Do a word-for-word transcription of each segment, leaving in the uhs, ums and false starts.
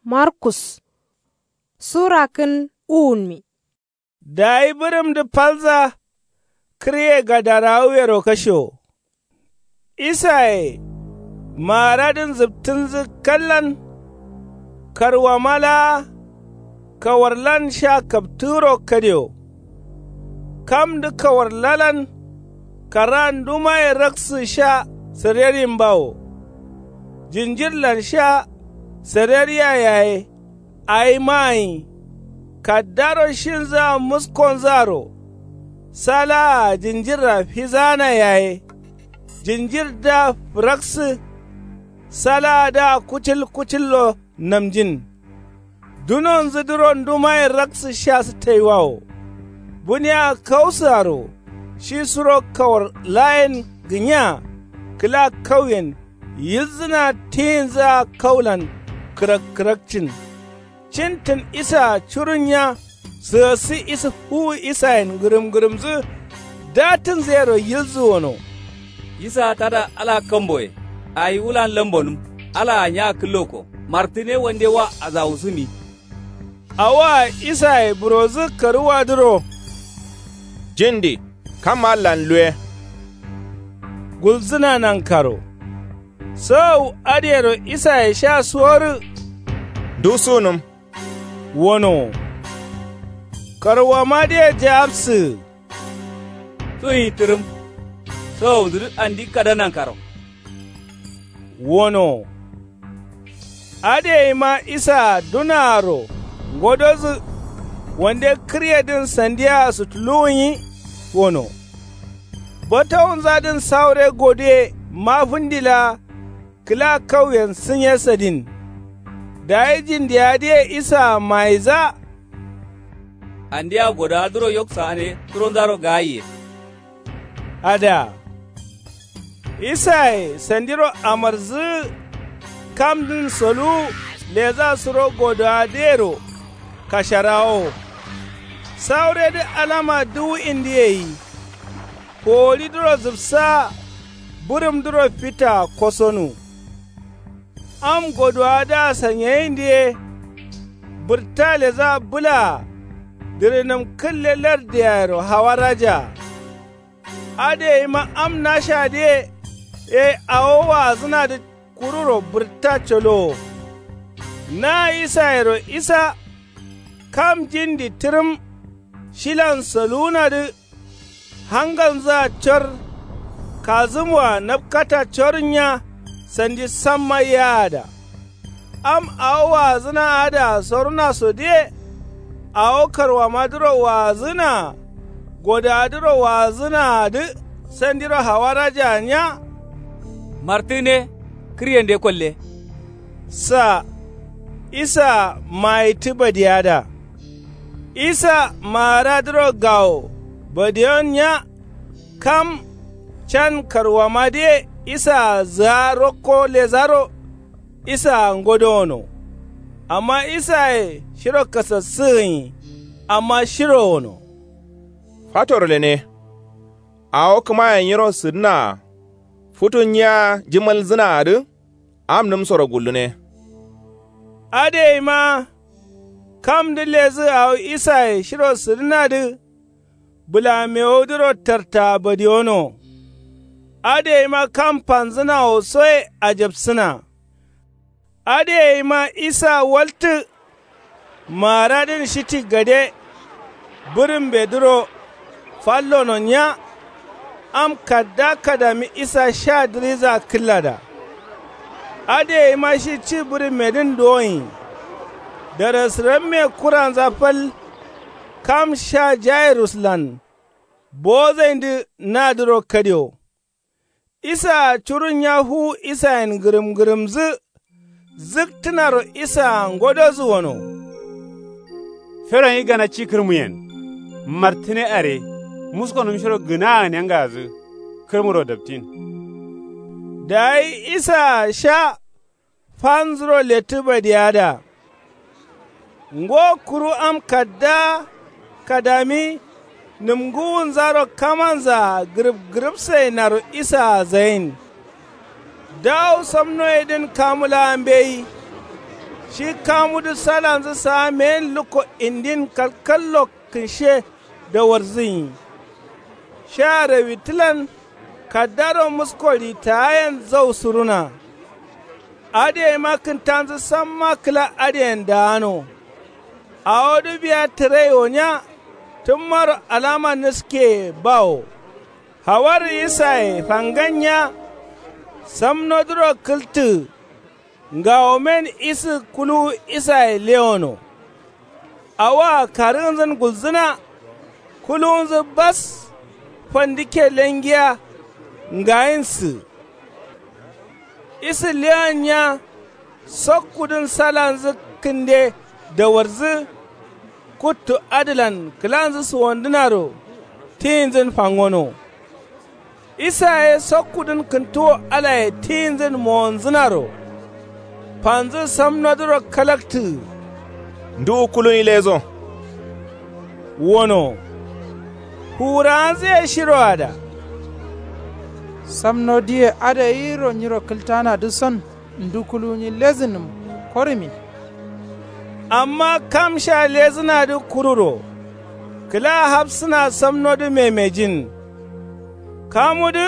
Markus. Sura kǝn uwunmi. Dayi bǝrǝmdǝ falza. Kǝrye gadarawuyero kashewo. Isaye maaradǝn zǝptǝnzǝ kallan. Karwama laa kawarlan sha kaptǝgǝro kadewo. Kamdǝ kawarlalan. Kara ndumaye raksǝ sha sarerimbawo. Jinjirlan sha sareriya yaye. Awi maanyi. Kaddaro shinzǝa muskonzǝaro. Salaa jinjirra fizaana yaye. Jinjirdǝa fǝraksǝ. Salaadǝa kucil kucillo namjin. Dunonzǝdǝro ndumaye raksǝ sha sǝttaiwawo. Bunea kausǝaro. Shi suro kawar laayen gǝnya. Kǝla kauyen yilzǝna tiyinzǝa kaulan kǝrak kǝrakcin. Cintǝn isaa curunya. Sǝgǝssǝ isǝ fuwu isayen ngǝrǝm ngǝrǝmzǝ. Datǝnzǝyero yilzǝ wono. Isaa tada alaa kamboye. Awi wulan lambonǝm. Alaa nya kǝlloko. Martǝne wande wa azawusǝmi. Awoa isaye burodǝ karuwadǝro. Jindi kam allan luwe. Gulzǝna nankaro. Sawu adǝyero isaye sha suworǝ. Ndu sunǝm. Wonowo. Karwamadǝye jawabsǝgǝ. Suyi tǝrǝm. Sawudǝ dǝ andi kada nankaro. Wonowo. Adǝ yeima isaa dunaaro ngododǝ. Wande kǝryedǝn sandia sutuluwunyi. Wono. Batawunzadǝn saure goduye mafǝndi laa. Kǝla kauyen sǝnye sadin. Dayi jindiya dǝye isaa mayidza. Andia godowadǝro yok saane suronzaro gaayiye. Ada. Isaye sandiro amarzǝgǝ. Kamdǝn soluwu ledza suro godowadǝyero. Kasharawowo. Sauredǝ alama duwu indi yeyi. Kowolidǝro zǝbsaa. Bǝrǝmdǝro fitaa kosonu. Am godowadǝa sanyayindǝ ye. Bǝrta ledza bǝlaa. Dǝrǝnǝm kǝlle lardiyayero hawarajaa. Adǝ yeima am nashadǝye. Ye awo waazǝnadǝ. Kururo bǝrta colowo. Na isayero isa. Kam jindi tǝrǝm. Shilan soluwunadǝ. Hangalnzǝa cor. Kazǝmwoa napkata cornya. Sandi samma yaada. Am awo waazǝna adǝa soruna sodǝye. Awo karwamadǝro waazǝnaa. Godowadǝro waazǝnaadǝ. Sandiro hawarajaa nya. Martǝne. Kǝryende kolle. Sa. Isa mayittǝ badiyada. Isa maaradǝro gawo. Badiyon nya. Kam. Can karwamadǝye isaa zǝa rokko ledzaro. Isaa ngodowono. Amma isaye shiro kasassǝgǝnyi. Amma shiro wono. Fatoro lene. Awo kǝmaye nyiro sǝdǝnaa. Futu nyiya jimalzǝnaadǝ. Am nǝmsoro gullune. Adǝ yeima. Kamdǝ lezǝ awo isaye shiro sǝdǝnadǝ. Bǝlamewodǝro tartaa badiyono. Adǝ yeima kam fanzǝnawo soye ajapsǝna. Adǝ yeima isa waltǝ. Maaradǝn shiti gade. Bǝrǝmbedǝro. Fallono nya. Am kadda kadami isa sha dǝriza kǝllada. Adǝ yeima shi ci bǝrǝmmedǝn duwonyi. Darasǝramme kuranza fal. Kam sha jairuslan. Bozaindǝ nadǝro kadewo. Isaa curun nya fuwu isayen ngǝrǝm ngǝrǝmdǝ. Zǝktǝnaro isaa ngododǝ wono. Feronyi gana ci kǝrmuyen. Martǝne are. Muskonǝm shiro gǝnaa gǝnengadǝ. Kǝrmuro daptin. Dayi isaa sha. Fanzuro lettǝ badiyada. Ngo kuru am kadda. Kadami. Nǝmgǝwunzaro kamanzaa gǝrǝp gǝrǝpsai naro isaa zayin. Dawu samnoyedǝn kamu laa mbeyi. Shi kamudǝ salanzǝ saa meyin lukko indin kalkallo kǝnshe dawarzǝnyi. Sha rewitǝlan kaddaro musko ritaayen zau suruna. Adǝ yaima kǝntanzǝ samma kǝla adǝyen daano. Awodǝ biya tǝraiwo nya tǝmmaro alama nǝskeye bawo. Hawarǝ isaye fangan nya samnodǝro kǝltǝ. Ngawomen isǝ kuluwu isaye lewono. Awoa karǝgǝnzǝn gulzǝna. Kuluwunzǝ bas. Fandikke lengiya ngayinsǝ. Isǝ lewan nya. Sokkudǝn salanzǝ kǝnde dawarzǝ. Kuttu adǝlan kǝlanzǝ suwandǝnaro tiyinzǝn fangono. Isa ye sokkudǝn kǝntuwo alaye tiyinzǝn mowonzǝnaro. Fanzǝ samnodǝro kalaktǝgǝ. Nduwu kuluwunyi lezo. Wono. Fuwurawanzǝ ye shiroada. Samnodiye adǝ gairo nyiro kǝltanadǝ son ndu kuluwunyi lezǝnǝm. Korǝmin. Amma kam sha lezǝnadǝ kururo. Kǝla hafsǝna samnodǝ memejin. Kamudǝ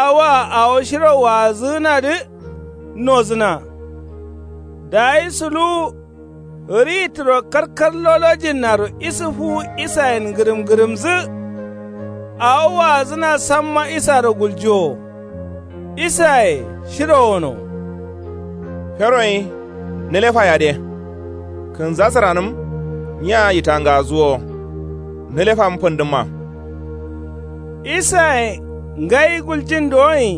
awoa awo shiro waazǝgǝnadǝ nozǝna. Dayi suluwu. Ritǝro karkar lolojinnaro isǝ fuwu isayen ngǝrǝm-ngǝrǝmzǝ. Awo waazǝna samma isaro guljiwo. Isaye shiro wono. Feroyi nǝlefa yade. Kǝnzasǝranǝm. Nya yitangazuwo. Nǝlefam fǝndǝmma. Isaye ngai guljin dowoyi.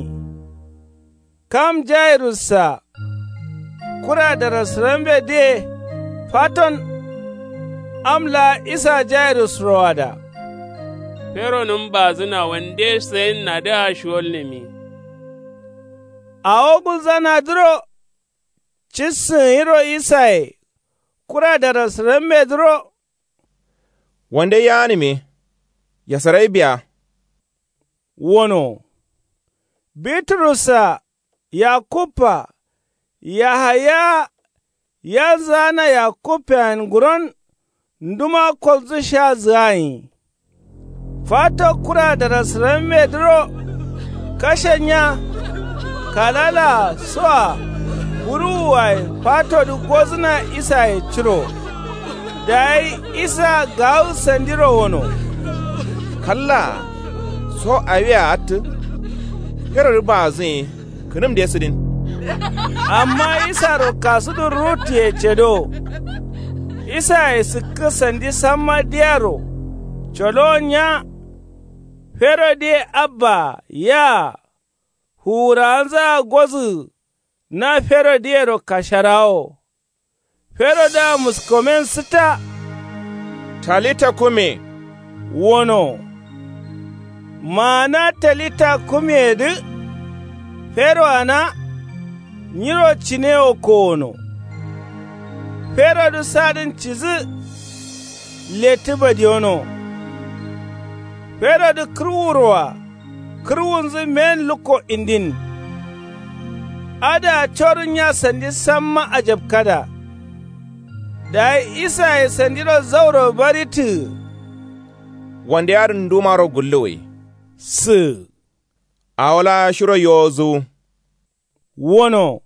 Kam jairussa. Kura darasǝrambedǝye faton. Am laa isa jairus roada. Feronǝm bazǝna wande sayinnadǝa shiwolnǝmi. Awo gulzanadǝro. Cissǝn yiro isaye. Kura darasǝrambedǝro. Wande yaanǝmi. Yasarai biya. Wono. Biturussa. Yakubba. Yahaya. Yanzǝgana yakubbeyen nguron. Nduma kolzǝ sha zǝganyi. Fato kura darasǝrammedǝro. Kashe nya. Kalala soa. Buruwuwaye fatodǝ gozǝna isaye curo. Dayi isa gawu sandiro wono. Kalla. So awia attǝ. Ferodǝ baazǝnyi. Kǝnǝmde sǝdin. Amma isaro kasudǝ ruttuye cedo. Isaye sǝkkǝ sandi samma diyaro. Colowon nya. Ferodǝye abbaa yaa. Fuwurawanzǝa gozǝgǝ. Na ferodǝyero kasharawo. Ferodǝa muskomen sǝtta. Talita kumi. Wono. Maana talita kumiyedǝ. Feroana. Nyiro cine wo kowono. Ferodǝ sadǝn cidǝ. Lettǝ badiyono. Ferodǝ kǝrwuroa. Kǝrwunzǝ men lukko indin. Adǝa corǝn nya sandi samma ajabkada. Dayi isaye sandiro zauro barittǝgǝ. Wande adǝn ndumaro gulluwǝ. Sǝgǝ. Awo laa shiro yozǝwu. Wono.